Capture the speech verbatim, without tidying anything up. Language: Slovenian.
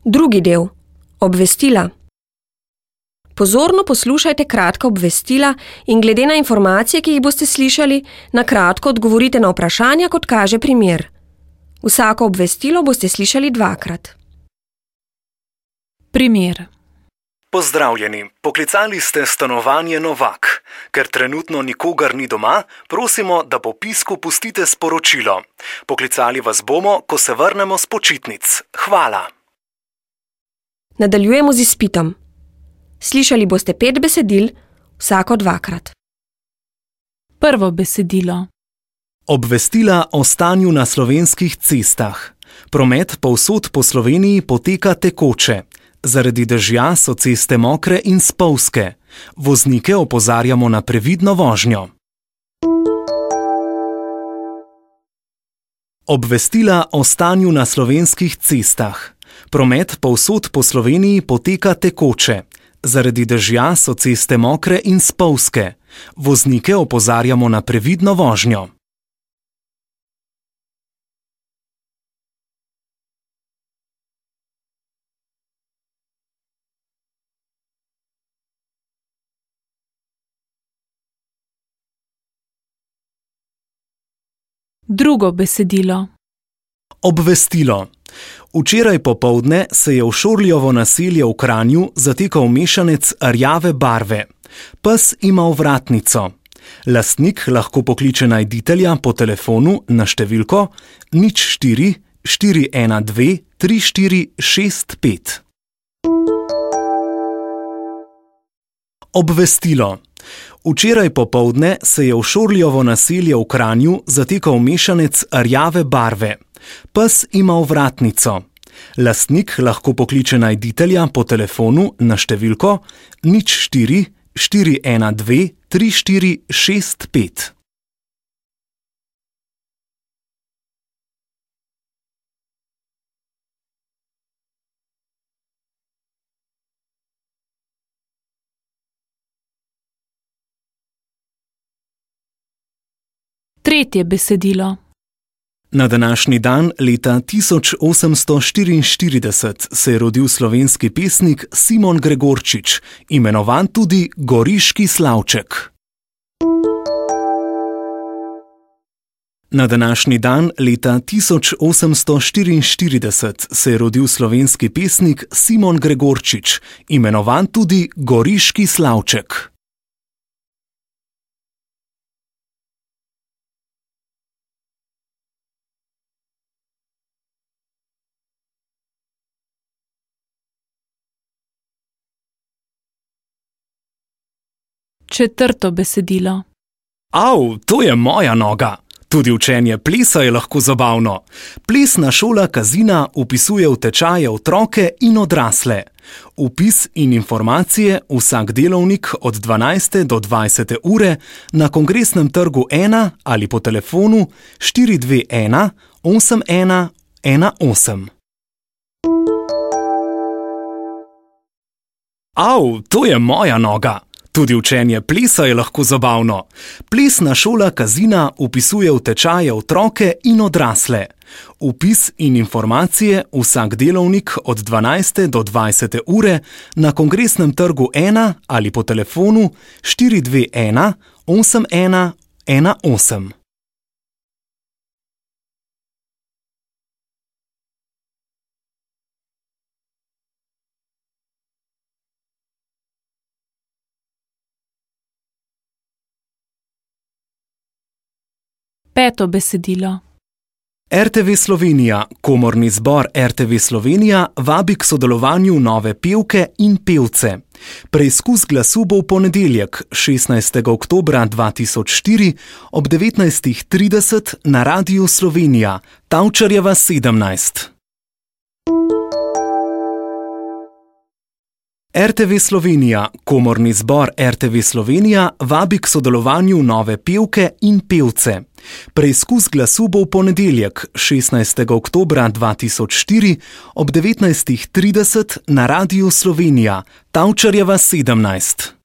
Drugi del. Obvestila. Pozorno poslušajte kratka obvestila in glede na informacije, ki jih boste slišali, na kratko odgovorite na vprašanja, kot kaže primer. Vsako obvestilo boste slišali dvakrat. Primer. Pozdravljeni, poklicali ste stanovanje Novak. Ker trenutno nikogar ni doma, prosimo, da po pisku pustite sporočilo. Poklicali vas bomo, ko se vrnemo s počitnic. Hvala. Nadaljujemo z izpitom. Slišali boste pet besedil, vsako dvakrat. Prvo besedilo. Obvestila o stanju na slovenskih cestah. Promet povsod po Sloveniji poteka tekoče. Zaradi dežja so ceste mokre in spolzke. Voznike opozarjamo na previdno vožnjo. Obvestila o stanju na slovenskih cestah. Promet povsod po Sloveniji poteka tekoče. Zaradi dežja so ceste mokre in spolzke. Voznike opozarjamo na previdno vožnjo. Drugo besedilo. Obvestilo. Včeraj popoldne se je v Šorljovo naselje v Kranju zatekal mešanec rjave barve. Pes ima ovratnico. Lastnik lahko pokliče najditelja po telefonu na številko nič štiri štiri ena dve tri štiri šest pet. Obvestilo. Včeraj popoldne se je v Šorljovo naselje v Kranju zatekal mešanec rjave barve. Pes ima ovratnico. Lastnik lahko pokliče najditelja po telefonu na številko nič štiri štiri ena dve tri štiri šest pet. Tretje besedilo. Na današnji dan leta tisoč osemsto štiriinštirideset se je rodil slovenski pesnik Simon Gregorčič, imenovan tudi Goriški slavček. Na današnji dan leta tisoč osemsto štiriinštirideset se je rodil slovenski pesnik Simon Gregorčič, imenovan tudi Goriški slavček. Četrto besedilo. Au, to je moja noga! Tudi učenje plesa je lahko zabavno. Plesna šola Kazina vpisuje v tečaje otroke in odrasle. Vpis in informacije vsak delovnik od dvanajste do dvajsete ure na Kongresnem trgu ena ali po telefonu štiri dve ena osem ena ena osem. Au, to je moja noga! Tudi učenje plesa je lahko zabavno. Plesna šola Kazina vpisuje v tečaje otroke in odrasle. Vpis in informacije vsak delovnik od dvanajste do dvajsete ure na Kongresnem trgu ena ali po telefonu štiri dve ena osem ena ena osem. Peto besedilo. er te ve Slovenija, komorni zbor er te ve Slovenija vabi k sodelovanju nove pevke in pevce. Preizkus glasu bo v ponedeljek, šestnajstega oktobra dva tisoč štiri, ob devetnajstih trideset na Radiu Slovenija, Tavčarjeva sedemnajst. er te ve Slovenija, komorni zbor er te ve Slovenija vabi k sodelovanju nove pevke in pevce. Preizkus glasu bo v ponedeljek, šestnajstega oktobra dva tisoč štiri, ob devetnajstih trideset na Radiu Slovenija, Tavčarjeva sedemnajst.